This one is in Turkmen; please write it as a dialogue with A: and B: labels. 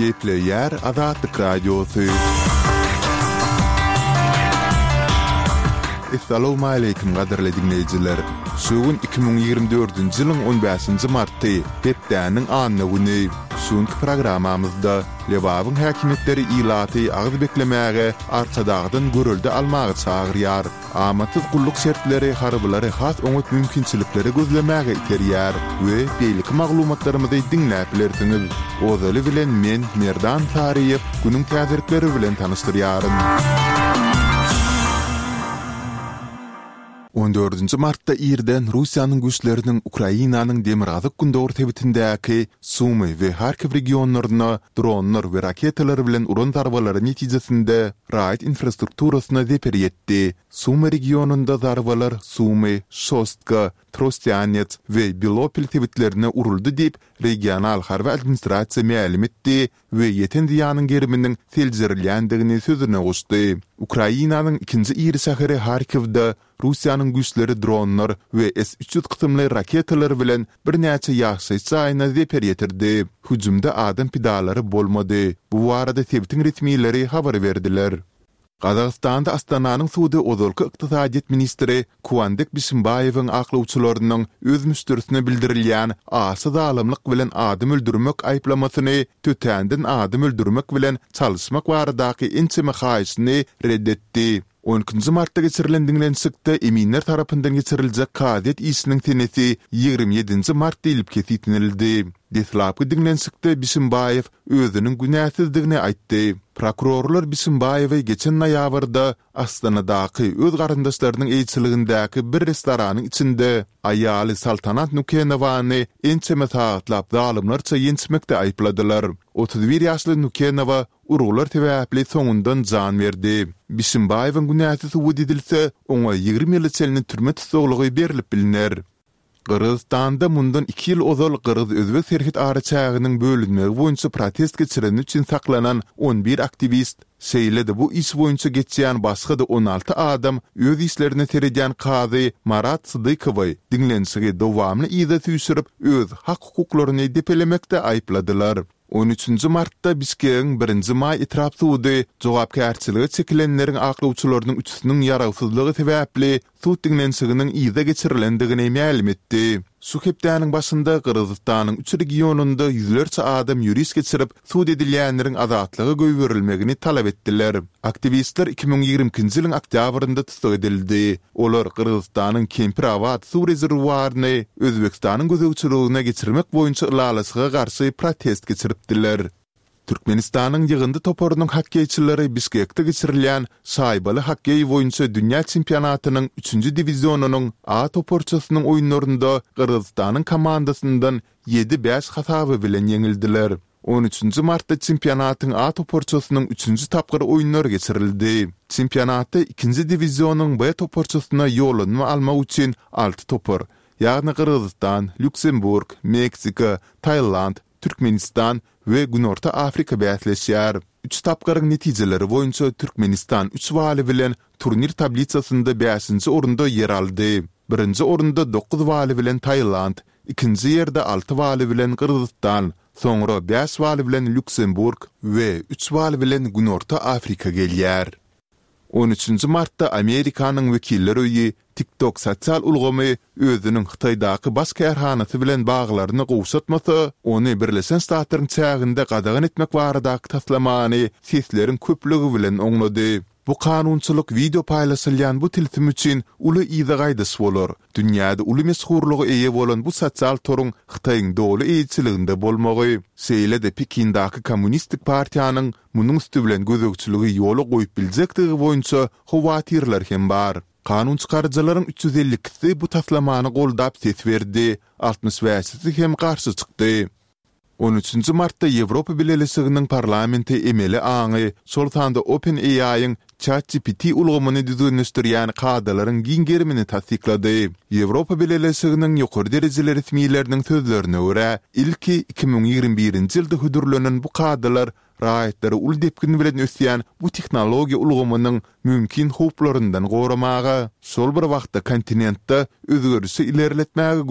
A: Gepleýär Azatlyk Radiosy. Essalawmaleýkim gadyrly diňleýjiler! Şu gün 2024-nji ýylyň on bäşinji marty, hepdäniň anna güni. Şu günki programmamyzda Lebabyň häkimiýetleri ilaty agyz beklemäge Arkadagdan görelde almaga çagyrýar. Amatsyz gulluk şertleri harbylary has oňat mümkinçilikleri gözlemäge iterýär we beýleki maglumatlarymyzy diňläp bilersiňiz. Ozaly bilen men, Merdan Saryýew, günüň täzelikleri bilen tanyşdyrýaryn. On dördünji martda irden Russiýanyň güýçleriniň Ukrainanyň demirgazyk-gündogar sebitindäki Sumy we Harkiw regionlaryna dronlar we raketalar bilen uran zarbalary netijesinde raýat infrastrukturasyna zeper ýetdi. Sumy regionynda zarbalar Sumy, Şostka, Trostýanets we Belopil sebitlerine uruldy diýip, regional harby administrasiýa mälim etdi we ýeten zyýanyň geriminiň seljerilýändigini sözüne goşdy. Ukrainanyň ikinji iri şäheri Harkiwde Russiýanyň güýçleri dronlar we S 300 kysymly raketalar bilen birnäçe ýaşaýyş jaýyna zeper ýetirdi. Hüjümde adam pidalary bolmady. Bu barada sebitiň resmileri habar berdiler. Gazagystanda Astananyň sudy ozalky ykdysadyýet ministri Kuandyk Bişimbaýewiň aklawçylarynyň öz müşderisine bildirilýän aşa zalymlyk bilen adam öldürmek aýyplamasyny tötänden adam öldürmek bilen çalyşmak baradaky ençeme haýyşyny ret etdi. On ikinji martda geçirilen diňlenişikde eminler tarapyndan geçiriljek kazyýet işiniň senesi 27 nji mart diýlip kesgitlenildi. Deslapky diňlenişikde Bişimbaýew özüniň günäsizdigini aýtdy. Prokurorlar Bişimbaýewi geçen noýabrda Astanadaky öz garyndaşlarynyň eýeçiligindäki bir restoranyň içinde aýaly Saltanat Nukenowany ençeme sagatlap zalymlarça ýençmekde aýypladylar. 31 ýaşly Nukenowa urgular sebäpli soňundan jan berdi. Bişimbaýewiň günäsi subut edilse, oňa 20 ýyla çenli türme tussaglygy berlip bilner. Gyrgyzystanda mundan iki ýyl ozal gyrgyz-özbek serhet araçäginiň bölünmegi boýunça protest geçireni üçin saklanan 11 aktiwist, şeýle-de bu iş boýunça geçýän başga-da 16 adam öz işlerine seredýän kazy Marat Sydykowy diňlenişigi dowamly yza süýşürip, öz hak-hukuklaryny depelemekde aýypladylar. On üçünji martda Bişkegiň Birinji maý etrap sudy jogapkärçilige çekilenleriň aklawçylarynyň üçüsiniň ýarawsyzlygy sebäpli sud diňlenişiginiň yza geçirilendigini mälim etdi. Şu hepdäniň başynda Gyrgyzystanyň üç regionynda ýüzlerçe adam ýöriş geçirip, sud edilýänleriň azatlyga goýberilmegini talap etdiler. Aktiwistler 2022-nji ýylyň oktýabrynda tussag edildi. Olar Gyrgyzystanyň Kempir-Abat suw rezerwuaryny Özbegistanyň gözegçiligine geçirmek boýunça ylalaşyga garşy protest geçiripdiler. Türkmenistanyň ýygyndy toparynyň hokkeýçileri Bişkekde geçirilýän şaýbaly hokkeý boýunça dünýä çempionatynyň üçünji diwizionynyň A toparçasynyň oýunlarynda Gyrgyzystanyň komandasyndan ýedi, bäş hasaby bilen ýeňildiler. On üçünji martda çempionatyň A toparçasynyň üçünji tapgyr oýunlary geçirildi. Çempionatda ikinji diwizionyň B toparçasyna ýollanma almak üçin alty topar, ýagny Gyrgyzystan, Lýuksemburg, Meksika, Tailand, Türkmenistan we Günorta Afrika bäsleşýär. Üç tapgyryň netijeleri boýunça Türkmenistan üç baly bilen turnir tablisasynda bäşinji orunda ýer aldy. Birinji orunda dokuz baly bilen Tailand, Ikinji ýerde alty baly bilen Gyrgyzystan, soňra bäş bal bilen Lýuksemburg we üç bal bilen Günorta Afrika gelýär. On üçünji martda Amerikanyň Wekiller öýi TikTok sosial ulgamy özüniň Hytaýdaky baş kärhanasy bilen baglaryny gowşatmasa, ony Birleşen Ştatlaryň çäginde gadagan etmek baradaky taslamany sesleriň köplügi bilen oňlady. Bu kanunçylyk wideo paýlaşylýan bu tilsim üçin uly yza gaýdyş bolar. Dünýäde uly meşhurlyga eýe bolan bu sosial toruň Hytaýyň doly eýeçiliginde bolmagy, şeýle-de Pekindaky Kommunistik partiýanyň munuň üsti bilen gözegçiligi ýola goýup biljekdigi boýunça howatyrlar hem bar. Kanunçykaryjylaryň 352-si bu taslamany goldap ses berdi, altmyş bäşisi hem garşy çykdy. On üçünji martda Ýewropa Bileleşiginiň Parlamenti emeli aňy, şol sanda OpenAI-iň ChatGPT ulgamyny düzgünleşdirýän kadalaryň giň gerimini tassyklady. Ýewropa Bileleşiginiň ýokary derejeli resmileriniň sözlerine görä, ilki 2021-nji ýylda hödürlenen bu kadalar raýatlary uly depgin bilen ösýän bu tehnologiýa ulgamynyň mümkin howplaryndan goramaga, şol bir wagtda kontinentde özgerişi ilerletmäge.